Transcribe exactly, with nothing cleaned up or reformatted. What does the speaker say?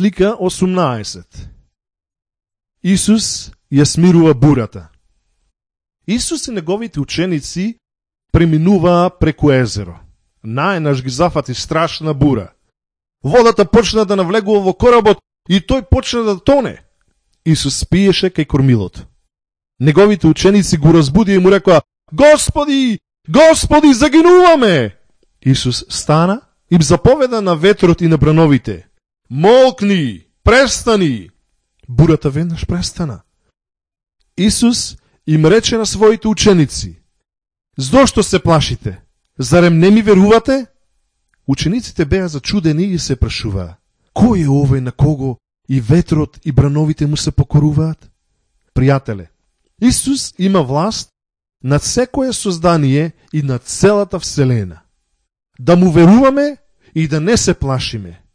слика осумнаесет. Исус ја смирува бурата. Исус и неговите ученици преминуваа преку езеро. Најнаш ги зафати страшна бура. Водата почна да навлегува во коработ и тој почна да тоне. Исус спиеше кај кормилото. Неговите ученици го разбудија и му рекоа: Господи, Господи, загинуваме! Исус стана и им заповеда на ветрот и на брановите: Молкни, престани! Бурата веднаш престана. Исус им рече на своите ученици: Зошто се плашите? Зарем не ми верувате? Учениците беа зачудени и се прашуваа: Кој е овој на кого и ветрот и брановите му се покоруваат? Пријателе, Исус има власт над секое создание и над целата вселена. Да му веруваме и да не се плашиме.